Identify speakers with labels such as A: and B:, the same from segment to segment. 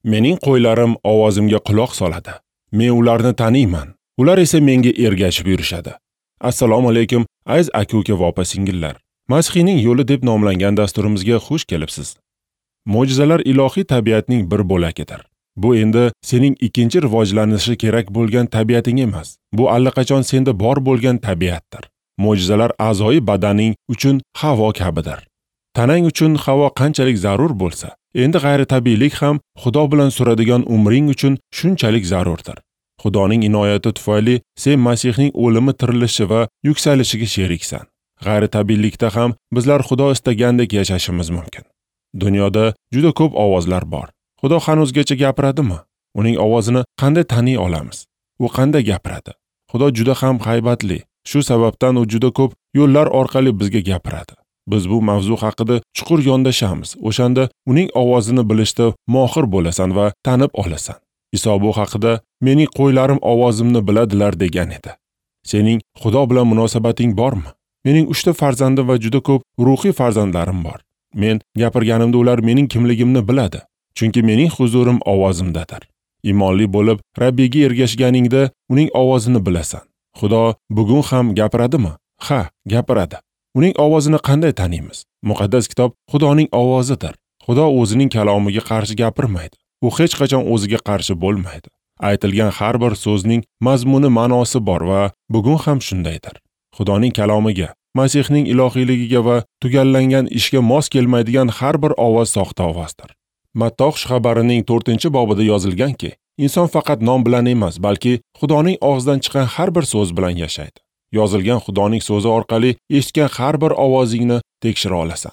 A: Mening qo'ylarim ovozimga quloq soladi. Men ularni taniyman. Ular esa menga ergashib yurishadi. Assalomu alaykum, aziz aka-uka va opa-singillar. Masihiyning yo'li deb nomlangan dasturimizga xush kelibsiz. Mo'jizalar ilohiy tabiatning bir bo'lagidir. Bu endi sening ikkinchi rivojlanishi kerak bo'lgan tabiating emas. Bu allaqachon senda bor bo'lgan tabiatdir. Mo'jizalar a'zoyi badaning uchun havo kabidir. Tanang uchun havo qanchalik zarur bo'lsa, endi g'ayritabiiylik ham Xudo bilan suradigan umring uchun shunchalik zarurdir. Xudoning inoyati tufayli sen Masihning o'limi, tirilishi va yuksalishiga sheriksan. G'ayritabiiylikda ham bizlar Xudo istagandek yashashimiz mumkin. Dunyoda juda ko'p ovozlar bor. Xudo hanuzgacha gapiradimi? Uning ovozini qanday taniy olamiz? U qanday gapiradi? Xudo juda ham haybatli. Shu sababdan u juda ko'p yo'llar orqali bizga gapiradi. Biz bu mavzu haqida chuqur yondashamiz. O'shanda uning ovozini bilishda mohir bo'lasan va tanib olasan. Iso bu haqida mening qo'ylarim ovozimni biladilar degan edi. Sening Xudo bilan munosabating bormi? Mening 3 ta farzandim va juda ko'p ruhiy farzandlarim bor. Men gapirganimda ular mening kimligimni biladi. Chunki mening huzurim ovozimdadir. Iymonli bo'lib Rabbiyga ergashganingda uning ovozini bilasan. Xudo bugun ham gapiradimi? Ha, gapiradi. Uning ovozini qanday taniymiz? Muqaddas kitob Xudoning ovozidir. Xudo o'zining kalomiga qarshi gapirmaydi. U hech qachon o'ziga qarshi bo'lmaydi. Aytilgan har bir so'zning mazmuni, ma'nosi bor va bugun ham shundaydir. Xudoning kalomiga, Masihning ilohiyligiga va tugallangan ishga mos kelmaydigan har bir ovoz soxta ovozdir. Matto xushxabarining 4-bobida yozilganki, inson faqat non bilan emas, balki Xudoning og'zidan chiqqan har bir so'z bilan yashaydi. Yozilgan Xudoning so'zi orqali eshitgan har bir ovozingni tekshira olasan.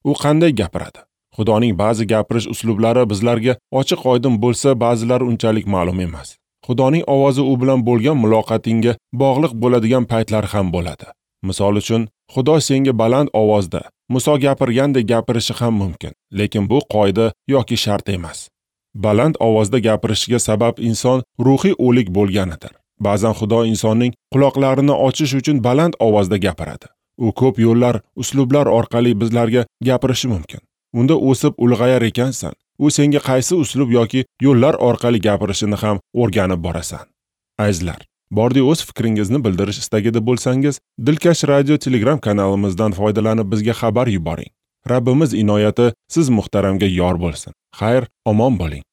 A: U qanday gapiradi? Xudoning ba'zi gapirish uslublari bizlarga ochiq-oydin bo'lsa, ba'zilari unchalik ma'lum emas. Xudoning ovozi u bilan bo'lgan muloqotingga bog'liq bo'ladigan paytlar ham bo'ladi. Misol uchun, Xudo senga baland ovozda Muso gapirgandek gapirishi ham mumkin, lekin bu qoida yoki shart emas. Baland ovozda gapirishiga sabab inson ruhiy o'lik bo'lganidir. Ba'zan Xudo insonning quloqlarini ochish uchun baland ovozda gapiradi. U ko'p yo'llar, uslublar orqali bizlarga gapirishi mumkin. Unda o'sib ulg'ayar ekansan, u senga qaysi uslub yoki yo'llar orqali gapirishini ham o'rganib borasan. Azizlar, bordi o'z fikringizni bildirish istagida bo'lsangiz, Dilkash radio Telegram kanalimizdan foydalanib bizga xabar yuboring. Rabbimiz inoyati siz muhtaramga yor bo'lsin. Xayr, omon bo'ling.